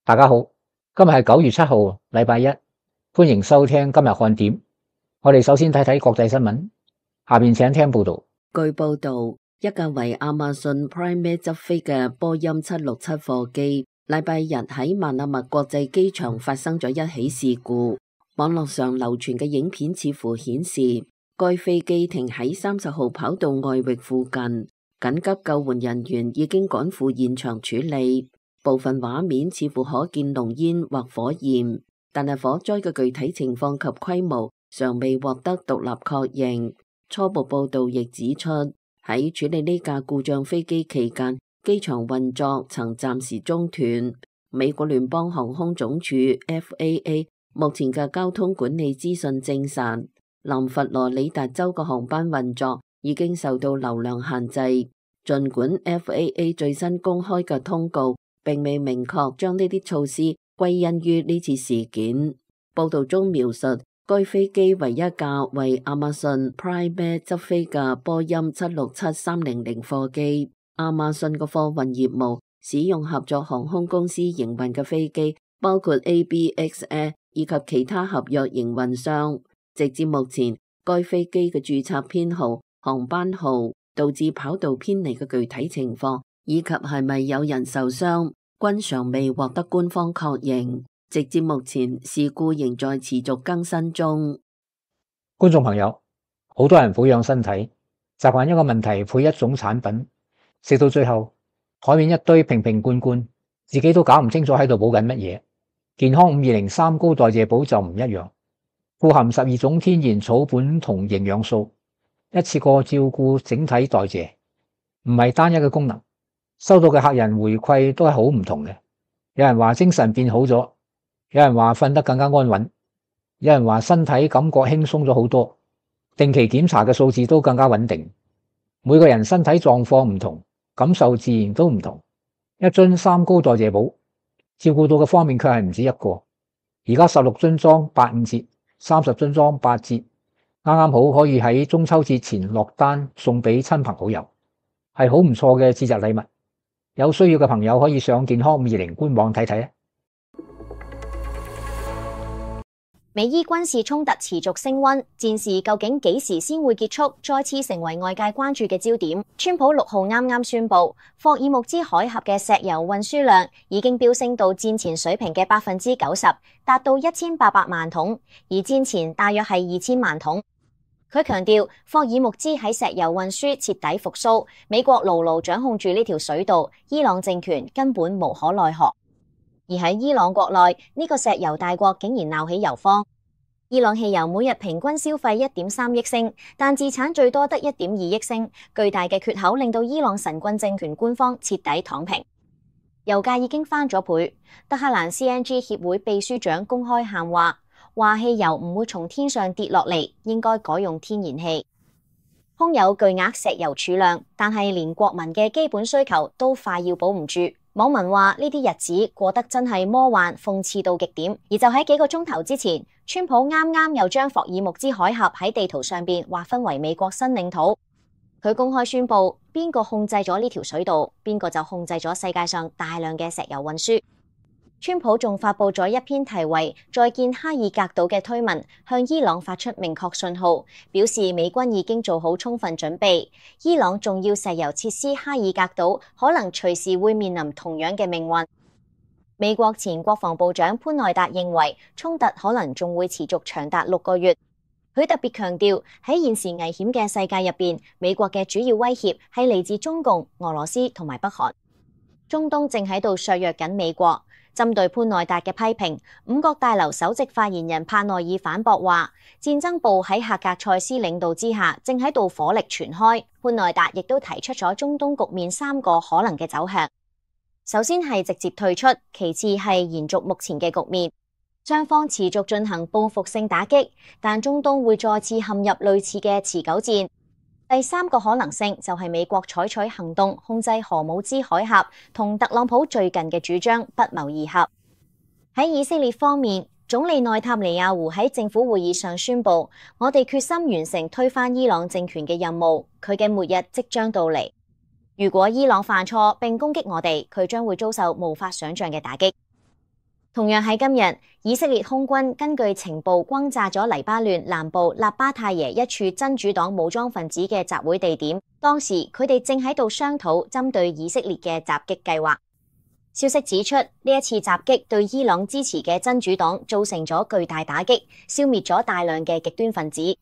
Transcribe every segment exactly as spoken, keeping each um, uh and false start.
大家好，今日係九月七號，禮拜一，歡迎收聽今日看點。我哋首先睇睇國際新聞，下邊請聽報道。據報道，一架為亞馬遜 Prime 執飛嘅波音七六七貨機，禮拜日喺曼納默國際機場發生咗一起事故。網絡上流傳嘅影片似乎顯示，該飛機停喺三十號跑道外域附近，緊急救援人員已經趕赴現場處理。部分畫面似乎可見濃煙或火焰，但係火災嘅具體情況及規模尚未獲得獨立確認。初步報道亦指出，喺處理呢架故障飛機期間，機場運作曾暫時中斷。美國聯邦航空總署 F A A 目前嘅交通管理資訊證實，南佛羅里達州嘅航班運作已經受到流量限制。儘管 F A A 最新公開嘅通告並未明確將呢啲措施歸因於呢次事件。報道中描述，該飛機為一架為亞馬遜 Prime 執飛嘅波音七六七三零零貨機。亞馬遜嘅貨運業務使用合作航空公司營運嘅飛機，包括 A B X Air 以及其他合約營運商。直至目前，該飛機嘅註冊編號、航班號、導致跑道偏離嘅具體情況，以及係咪有人受傷，均尚未獲得官方確認。直至目前，事故仍在持續更新中。觀眾朋友，好多人保養身體，習慣一個問題配一種產品，食到最後台面一堆瓶瓶罐罐，自己都搞唔清楚喺度補緊乜嘢。健康五二零三高代謝寶就唔一樣，富含十二種天然草本同營養素，一次過照顧整體代謝，唔係單一嘅功能。收到嘅客人回饋都係好唔同嘅，有人話精神變好咗，有人話瞓得更加安穩，有人話身體感覺輕鬆咗好多，定期檢查嘅數字都更加穩定。每個人身體狀況唔同，感受自然都唔同。一樽三高代謝寶照顧到嘅方面卻係唔止一個。而家十六樽裝八五折，三十樽裝八折，啱啱好可以喺中秋節前落單送俾親朋好友，係好唔錯嘅節日禮物。有需要嘅朋友可以上健康五二零官網睇睇啊！美伊軍事衝突持續升溫，戰事究竟幾時先會結束，再次成為外界關注嘅焦點。川普六號啱啱宣布，霍爾木茲海峽嘅石油運輸量已經飆升到戰前水平嘅百分之九十，達到一千八百萬桶，而戰前大約係二千萬桶。佢強調，霍爾木茲喺石油運輸徹底復甦，美國牢牢掌控住呢條水道，伊朗政權根本無可奈何。而喺伊朗國內，呢個石油大國竟然鬧起油荒。伊朗汽油每日平均消費一點三億升，但自產最多得一點二億升，巨大嘅缺口令到伊朗神棍政權官方徹底躺平。油價已經翻咗倍。德黑蘭 C N G 協會秘書長公開喊話，話汽油唔會從天上跌落嚟，應該改用天然氣。空有巨額石油儲量，但係連國民嘅基本需求都快要保唔住。網民話呢啲日子過得真係魔幻諷刺到極點。而就喺幾個鐘頭之前，川普啱啱又將霍爾木茲海峽喺地圖上邊劃分為美國新領土。佢公開宣布，邊個控制咗呢條水道，邊個就控制咗世界上大量嘅石油運輸。川普仲發佈咗一篇題為《再見哈爾格島》嘅推文，向伊朗發出明確信號，表示美軍已經做好充分準備。伊朗重要石油設施哈爾格島可能隨時會面臨同樣嘅命運。美國前國防部長潘內達認為，衝突可能仲會持續長達六個月。佢特別強調，喺現時危險嘅世界入邊，美國嘅主要威脅係嚟自中共、俄羅斯同埋北韓。中東正喺度削弱緊美國。針對潘內達嘅批評，五角大樓首席發言人帕內爾反駁話，戰爭部喺赫格塞斯領導之下，正喺度火力全開。潘內達亦都提出咗中東局面三個可能嘅走向，首先係直接退出，其次係延續目前嘅局面，雙方持續進行報復性打擊，但中東會再次陷入類似嘅持久戰。第三個可能性就係美國採取行動控制荷姆茲海峽，同特朗普最近嘅主張不謀而合。喺以色列方面，總理內塔尼亞胡喺政府會議上宣布，我哋決心完成推翻伊朗政權嘅任務，佢嘅末日即將到嚟。如果伊朗犯錯並攻擊我哋，佢將會遭受無法想象嘅打擊。同樣喺今日，以色列空軍根據情報轟炸咗黎巴嫩南部納巴泰耶一處真主黨武裝分子嘅集會地點。當時佢哋正喺度商討針對以色列嘅襲擊計劃。消息指出，呢一次襲擊對伊朗支持嘅真主黨造成咗巨大打擊，消滅咗大量嘅極端分子。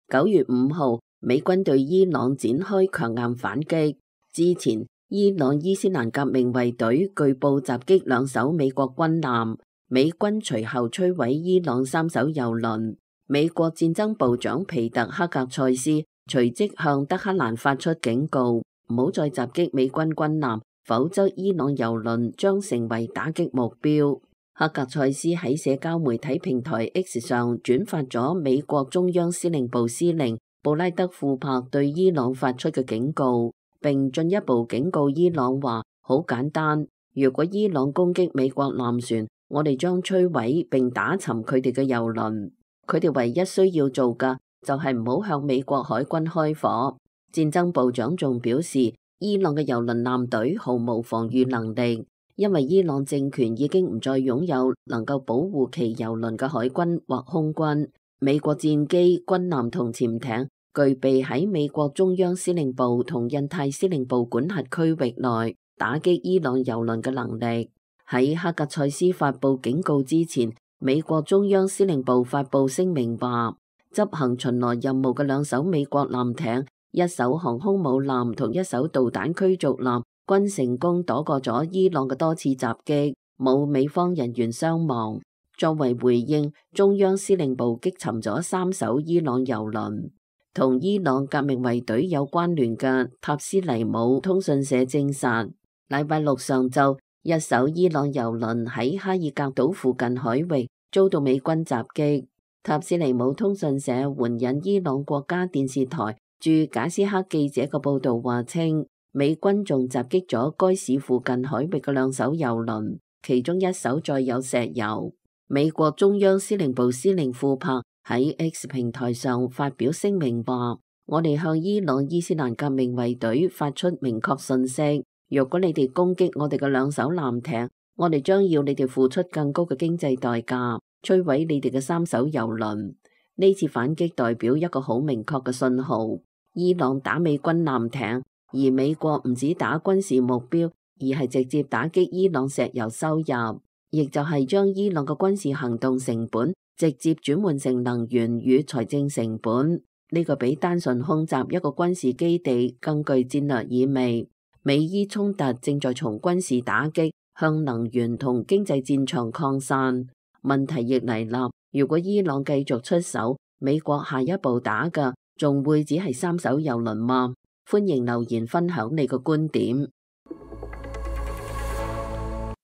九月五號，美軍對伊朗展開強硬反擊。之前，伊朗伊斯蘭革命衛隊據報襲擊兩艘美國軍艦，美軍隨後摧毀伊朗三艘油輪。美國戰爭部長皮特克格塞斯隨即向德黑蘭發出警告，唔好再襲擊美軍軍艦，否則伊朗油輪將成為打擊目標。克格塞斯喺社交媒體平台 X 上轉發咗美國中央司令部司令布拉德庫珀對伊朗發出嘅警告，並進一步警告伊朗話：好簡單，如果伊朗攻擊美國艦船，我哋將摧毀並打沉佢哋嘅油輪。佢哋唯一需要做嘅就係唔好向美國海軍開火。戰爭部長仲表示，伊朗嘅油輪艦隊毫無防禦能力，因為伊朗政權已經唔再擁有能夠保護其油輪嘅海軍或空軍。美國戰機、軍艦同潛艇具備喺美國中央司令部同印太司令部管轄區域內打擊伊朗油輪嘅能力。喺克格塞斯發布警告之前，美國中央司令部發布聲明話，執行巡邏任務嘅兩艘美國艦艇、一艘航空母艦同一艘導彈驅逐艦均成功躲過咗伊朗嘅多次襲擊，冇美方人員傷亡。作為回應，中央司令部擊沉咗三艘伊朗油輪。同伊朗革命衛隊有關聯嘅塔斯尼姆通訊社證實，禮拜六上晝，一艘伊朗油輪喺哈爾格島附近海域遭到美軍襲擊。塔斯尼姆通訊社援引伊朗國家電視台駐賈斯克記者嘅報道話稱，美軍仲襲擊咗該市附近海域嘅兩艘油輪，其中一艘載有石油。美國中央司令部司令庫珀喺 X 平台上發表聲明話，我哋向伊朗伊斯蘭革命衛隊發出明確信息，若果你哋攻擊我哋嘅兩艘艦艇，我哋將要你哋付出更高嘅經濟代價，摧毀你哋嘅三艘油輪。呢次反擊代表一個好明確嘅信號，伊朗打美軍艦艇，而美國唔止打軍事目標，而係直接打擊伊朗石油收入，亦就係將伊朗嘅軍事行動成本直接轉換成能源與財政成本。呢個比單純空襲一個軍事基地更具戰略意味。美伊衝突正在從軍事打擊向能源同經濟戰場擴散。問題亦嚟啦，如果伊朗繼續出手，美國下一步打嘅仲會只係三艘油輪嗎？歡迎留言分享你個觀點。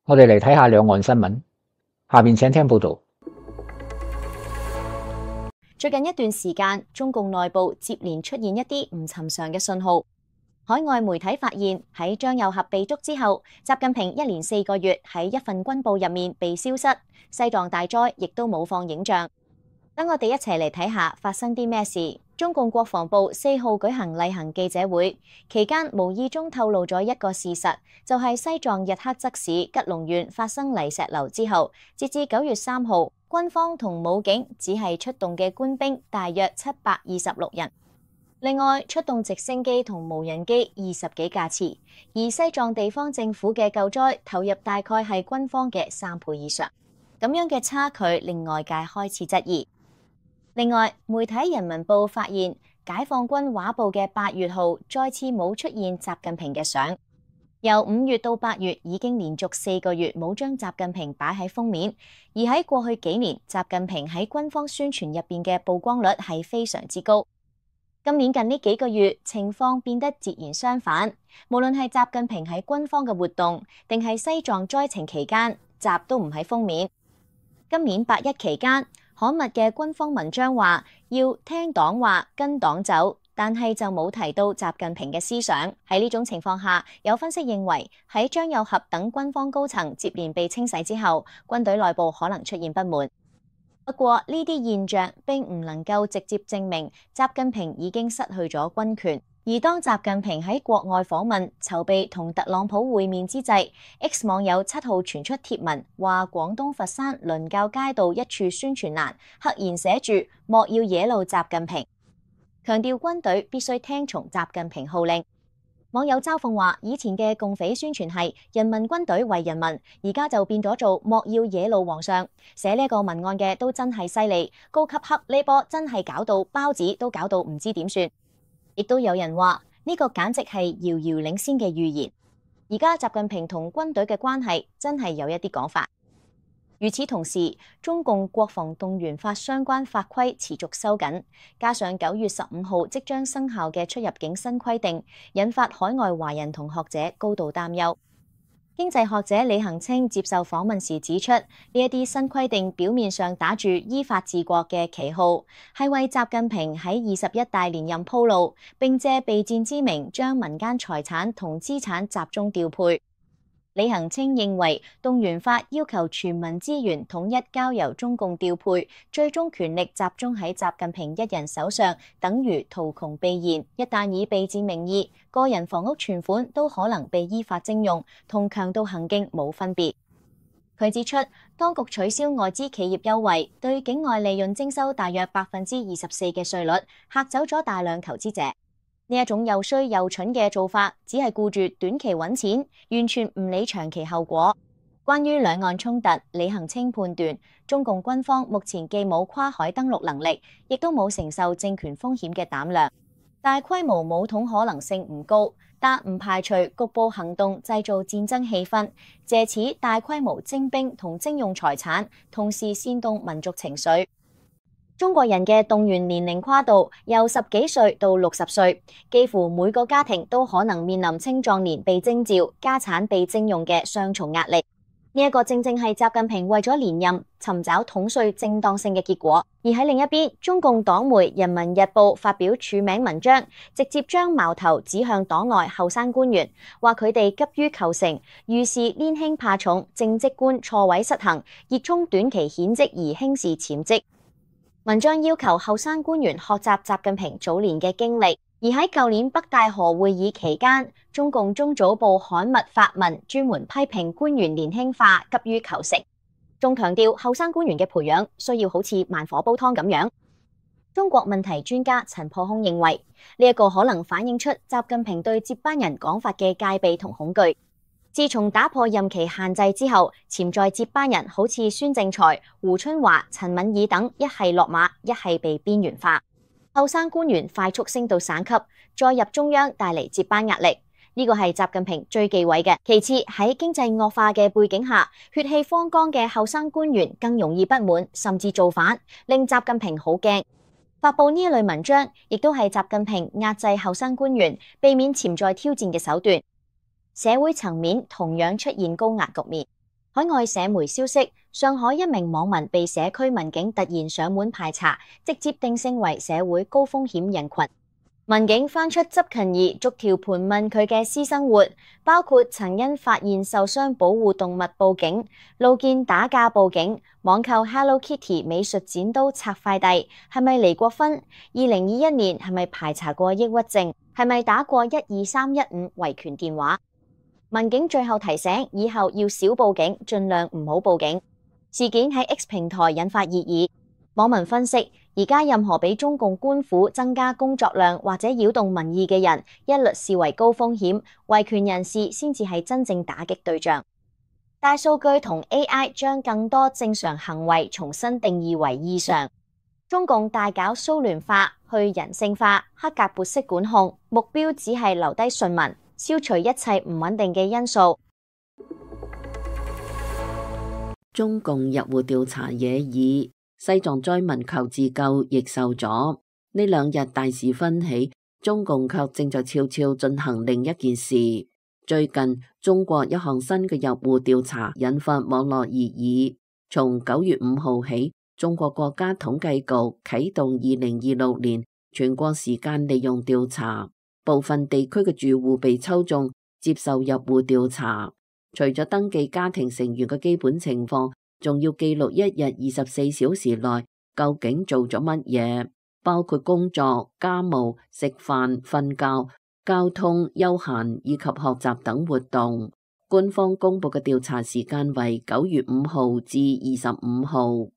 我哋嚟睇下兩岸新聞，下面請聽報道。最近一段時間，中共內部接連出現一啲唔尋常嘅信號。海外媒體發現喺張又俠被捉之後，習近平一連四個月喺一份軍報入面被消失，西藏大災亦都冇放影像。等我哋一齊嚟睇下發生啲咩事。中共國防部四號舉行例行記者會，期間無意中透露咗一個事實，就係西藏日喀則市吉隆縣發生泥石流之後，截至九月三號，軍方同武警只係出動嘅官兵大約七百二十六人，另外出動直升機同無人機二十幾架次，而西藏地方政府嘅救災投入大概係軍方嘅三倍以上，咁樣嘅差距令外界開始質疑。另外，媒體《人民報》發現解放軍畫報嘅八月號再次冇出現習近平嘅相。由五月到八月已經連續四個月冇將習近平擺喺封面，而喺過去幾年，習近平喺軍方宣傳入邊嘅曝光率係非常之高。今年近呢幾個月情況變得截然相反，無論係習近平喺軍方嘅活動，定係西藏災情期間，習都唔喺封面。今年八一期間，刊物嘅軍方文章話要聽黨話跟黨走，但係就冇提到習近平嘅思想。喺呢種情況下，有分析認為喺張又俠等軍方高層接連被清洗之後，軍隊內部可能出現不滿。不過呢啲現象並唔能夠直接證明習近平已經失去咗軍權。而當習近平喺國外訪問，籌備同特朗普會面之際 ，X 網友七號傳出貼文，話廣東佛山倫教街道一處宣傳欄赫然寫住莫要惹怒習近平，強調軍隊必須聽從習近平號令。網友嘲諷話：以前嘅共匪宣傳係人民軍隊為人民，而家就變咗做莫要惹怒皇上。寫呢個文案嘅都真係犀利，高級黑呢波真係搞到包子都搞到唔知點算。亦都有人話呢個簡直係遙遙領先嘅預言。而家習近平同軍隊嘅關係真係有一啲講法。與此同時，中共國防動員法相關法規持續收緊，加上九月十五號即將生效嘅出入境新規定，引發海外華人同學者高度擔憂。經濟學者李恒清接受訪問時指出，呢一啲新規定表面上打住依法治國嘅旗號，係為習近平喺二十一大連任鋪路，並借備戰之名將民間財產同資產集中調配。李恒清認為，動員法要求全民資源統一交由中共調配，最終權力集中喺習近平一人手上，等於圖窮匕現。一旦以備戰名義，個人房屋存款都可能被依法徵用，同強盜行徑冇分別。佢指出，當局取消外資企業優惠，對境外利潤徵收大約百分之二十四嘅稅率，嚇走咗大量投資者。呢一種又衰又蠢嘅做法，只係顧住短期揾錢，完全唔理長期後果。關於兩岸衝突，李恒清判斷，中共軍方目前既冇跨海登陸能力，亦都冇承受政權風險嘅膽量，大規模武統可能性唔高，但唔排除局部行動製造戰爭氣氛，借此大規模徵兵同徵用財產，同時煽動民族情緒。中國人嘅動員年齡跨度由十幾歲到六十歲，幾乎每個家庭都可能面臨青壯年被徵召、家產被徵用嘅雙重壓力。呢一個正正係習近平為咗連任尋找統帥正當性嘅結果。而喺另一邊，中共黨媒《人民日報》發表署名文章，直接將矛頭指向黨內後生官員，話佢哋急於求成，遇事年輕怕重，政績觀錯位失衡，熱衷短期顯績而輕視潛績。文章要求後生官員學習習近平早年嘅經歷，而喺舊年北戴河會議期間，中共中組部刊物發文專門批評官員年輕化、急於求成，仲強調後生官員嘅培養需要好似慢火煲湯咁樣。中國問題專家陳破空認為，呢一個可能反映出習近平對接班人講法嘅戒備同恐懼。自從打破任期限制之後，潛在接班人好似孫政才、胡春華、陳敏爾等，一係落馬，一係被邊緣化。後生官員快速升到省級，再入中央，帶嚟接班壓力。呢個係習近平最忌諱嘅。其次，喺經濟惡化嘅背景下，血氣方剛嘅後生官員更容易不滿，甚至造反，令習近平好驚。發佈呢一類文章，亦都係習近平壓制後生官員、避免潛在挑戰嘅手段。社會層面同樣出現高壓局面。海外社媒消息，上海一名網民被社區民警突然上門排查，直接定性為社會高風險人群。民警翻出執勤儀，逐條盤問佢嘅私生活，包括曾因發現受傷保護動物報警、路見打架報警、網購 Hello Kitty 美術剪刀拆快遞，係咪離過婚？二零二一年係咪排查過抑鬱症？係咪打過一二三一五維權電話？民警最後提醒，以後要少報警，盡量唔好報警。事件喺 X 平台引發熱議，網民分析，而家任何俾中共官府增加工作量或者擾動民意嘅人，一律視為高風險，維權人士先至係真正打擊對象。大數據同 A I 將更多正常行為重新定義為異常。中共大搞蘇聯化、去人性化、黑格勃式管控，目標只係留低順民，消除一切唔穩定嘅因素。中共入戶調查惹議，西藏災民求自救亦受阻。呢兩日大事紛起，中共卻正在悄悄進行另一件事。最近，中國一項新嘅入戶調查引發網絡熱議。從九月五號起，中國國家統計局啟動二零二六年全國時間利用調查。部分地區嘅住戶被抽中接受入戶調查，除咗登記家庭成員嘅基本情況，仲要記錄一日二十四小時內究竟做咗乜嘢，包括工作、家務、食飯、瞓覺、交通、休閒以及學習等活動。官方公布嘅調查時間為九月五號至二十五號。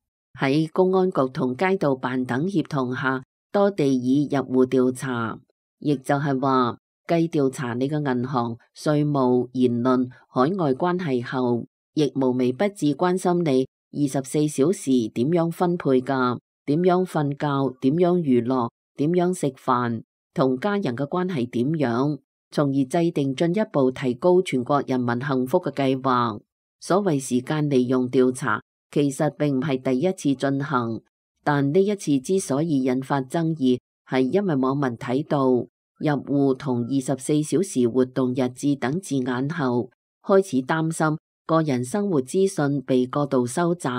喺公安局同街道辦等協同下，多地已入戶調查，亦就係話，繼調查你嘅銀行、稅務、言論、海外關係後，亦無微不至關心你二十四小時點樣分配㗎，點樣瞓覺，點樣娛樂，點樣食飯，同家人嘅關係點樣，從而制定進一步提高全國人民幸福嘅計劃。所謂時間利用調查，其實並唔係第一次進行，但呢一次之所以引發爭議，係因為網民睇到入戶同二十四小時活動日誌等字眼後，開始擔心個人生活資訊被過度收集。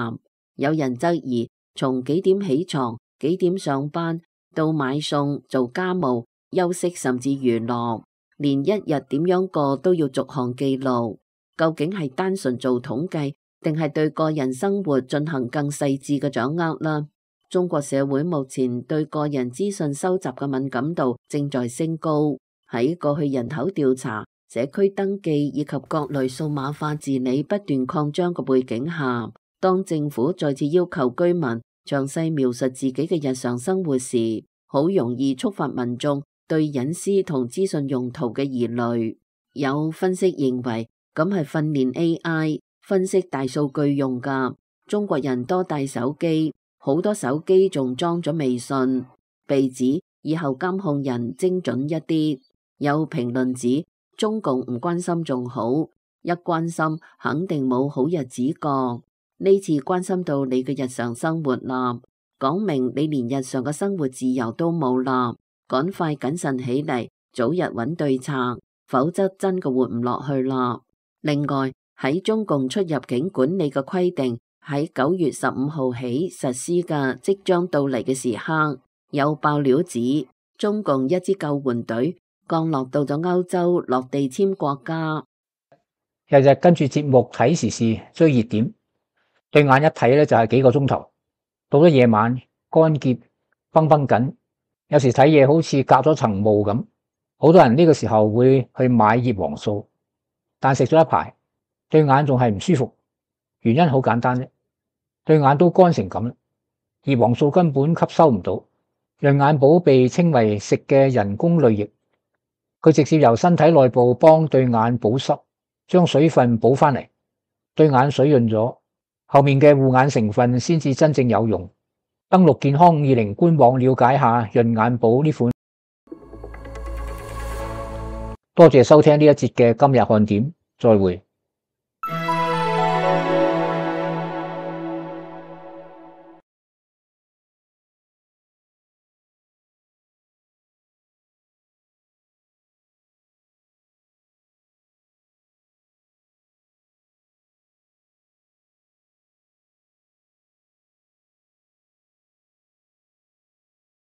有人質疑，從幾點起床、幾點上班到買餸、做家務、休息甚至娛樂，連一日點樣過都要逐項記錄，究竟係單純做統計，定係對個人生活進行更細緻嘅掌握啦？中國社會目前對個人資訊收集嘅敏感度正在升高。喺過去人口調查、社區登記以及各類數碼化治理不斷擴張嘅背景下，當政府再次要求居民詳細描述自己嘅日常生活時，好容易觸發民眾對隱私同資訊用途嘅疑慮。有分析認為，咁係訓練 A I 分析大數據用㗎。中國人多帶手機，好多手機仲裝咗微信，被指以後監控人精準一啲。有評論指，中共唔關心仲好，一關心肯定冇好日子過。呢次關心到你嘅日常生活啦，講明你連日常嘅生活自由都冇啦，趕快謹慎起嚟，早日揾對策，否則真嘅活唔落去啦。另外，喺中共出入境管理嘅規定喺九月十五號起實施嘅即將到嚟嘅時刻，有爆料指中共一支救援隊降落到咗歐洲落地簽國家。日日跟住節目睇時事追熱點，對眼一睇咧就係幾個鐘頭，到咗夜晚乾澀繃繃緊，有時睇嘢好似隔咗層霧咁。好多人呢個時候會去買葉黃素，但食咗一排，對眼仲係唔舒服，原因好簡單啫，對眼都乾成咁啦，葉黃素根本吸收唔到。潤眼寶被稱為食嘅人工淚液，佢直接由身體內部幫對眼保濕，將水分補翻嚟，對眼水潤咗，後面嘅護眼成分先至真正有用。登錄健康五二零官網了解下潤眼寶呢款。多謝收聽呢一節嘅今日看點，再會。